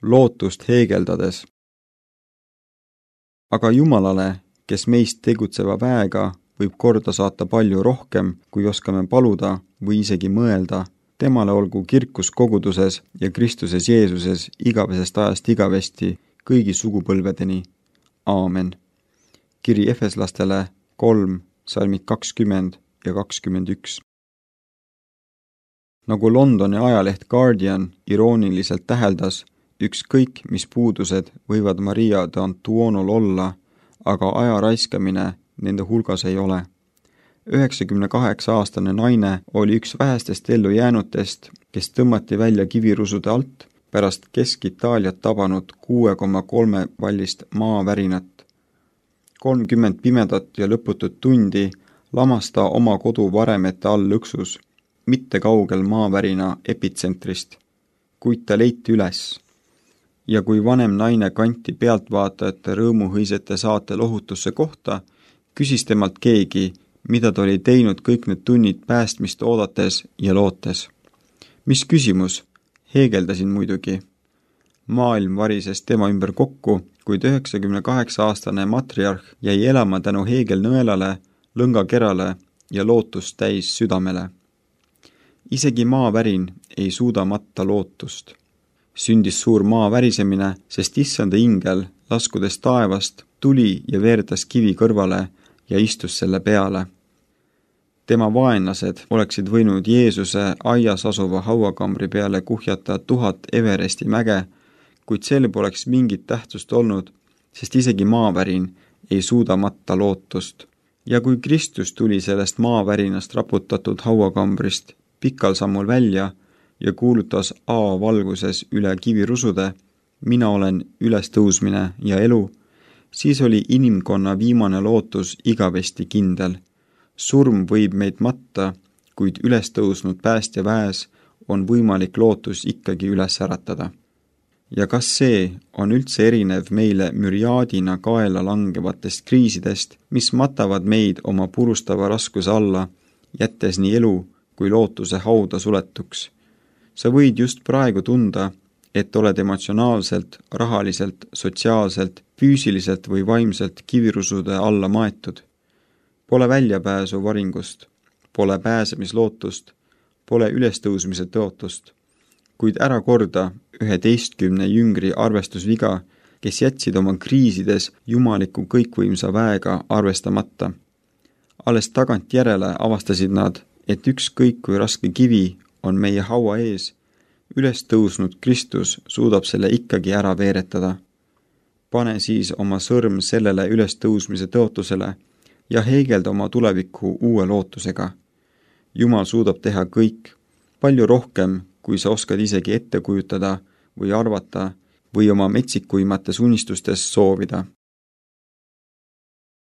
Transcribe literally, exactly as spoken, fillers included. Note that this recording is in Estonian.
lootust heegeldades. Aga Jumalale, kes meist tegutseva väega, võib korda saata palju rohkem, kui oskame paluda või isegi mõelda. Temale olgu kirkus koguduses ja Kristuses Jeesuses igavesest ajast igavesti kõigi sugupõlvedeni. Aamen. Kiri Efeslastele kolm, salmid kakskümmend ja kakskümmend üks. Nagu Londoni ajaleht Guardian irooniliselt täheldas, ükskõik mis puudused võivad Maria d'Antuonol olla, aga aja raiskamine nende hulgas ei ole. üheksakümne kaheksa aastane naine oli üks vähestest ellu jäänutest, kes tõmmati välja kivirusude alt pärast Kesk-Itaaliat tabanud kuue koma kolme vallist maavärinat. kolmkümmend pimedat ja lõputut tundi lamas ta oma kodu varemete all lõksus, mitte kaugel maavärina epitsentrist, kuid ta leiti üles. Ja kui vanem naine kanti pealtvaatajate rõõmuhõisete saate lohutusse kohta, küsis temalt keegi, mida ta oli teinud kõik need tunnid päästmist oodates ja lootes. Mis küsimus? Heegeldasin muidugi. Maailm varises tema ümber kokku, kuid üheksakümne kaheksa aastane matriarh jäi elama tänu heegelnõelale, lõngakerale ja lootust täis südamele. Isegi maavärin ei suuda matta lootust. Sündis suur maa värisemine, sest issanda ingel, laskudes taevast, tuli ja veerdas kivi kõrvale ja istus selle peale. Tema vaenlased oleksid võinud Jeesuse aias asuva hauakambri peale kuhjata tuhat Everesti mäge, kuid sel poleks mingit tähtsust olnud, sest isegi maavärin ei suuda matta lootust. Ja kui Kristus tuli sellest maavärinast raputatud hauakambrist pikal sammul välja ja kuulutas A valguses üle kivirusude, mina olen ülestõusmine ja elu, siis oli inimkonna viimane lootus igavesti kindel. Surm võib meid matta, kuid ülestõusnud päästja väes on võimalik lootus ikkagi üles äratada. Ja kas see on üldse erinev meile müriaadina kaela langevatest kriisidest, mis matavad meid oma purustava raskuse alla, jättes nii elu kui lootuse hauda suletuks? Sa võid just praegu tunda, et oled emotsionaalselt, rahaliselt, sotsiaalselt, füüsiliselt või vaimselt kivirusude alla maetud. Pole väljapääsu varingust, pole pääsemislootust, pole ülestõusmise tõotust, kuid ära korda üheteistkümne jüngri arvestusviga, kes jätsid oma kriisides jumaliku kõikvõimsa väega arvestamata. Alles tagantjärele avastasid nad, et ükskõik kui raske kivi on meie haua ees, üles tõusnud Kristus suudab selle ikkagi ära veeretada. Pane siis oma sõrm sellele ülestõusmise tõotusele ja heegelda oma tuleviku uue lootusega. Jumal suudab teha kõik, palju rohkem, kui sa oskad isegi ette kujutada või arvata või oma metsikuimates unistustes soovida.